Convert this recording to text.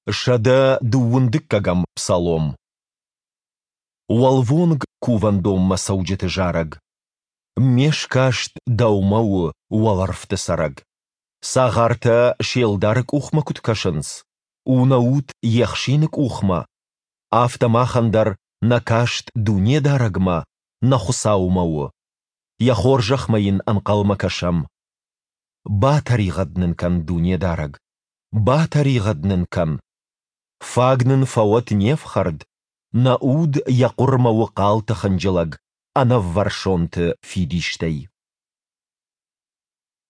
122 дыккӕгӕм псалом. Уӕлвонг кувӕндонмӕ цӕуджыты зарӕг. Ме скаст Дӕумӕ у, уӕлӕрвты цӕрӕг. Цагъартӕ се лдары къухмӕ куыд кӕсынц, у нӕ уд йе хсины къухмӕ, афтӕ махӕн дӕр нӕ каст Дунедарӕгмӕ, нӕ Хуыцаумӕ у. Йӕ хорзӕхмӕ йын ӕнхъӕлмӕ кӕсӕм. Батӕригъӕд нын кӕн, Дунедарӕг, батӕригъӕд нын кӕн. Фаг нын фӕуӕд не фхӕрд, нӕ уд йӕ хъуырмӕ у хъалты хынджылӕг, ӕнӕввӕрсонты фидистӕй.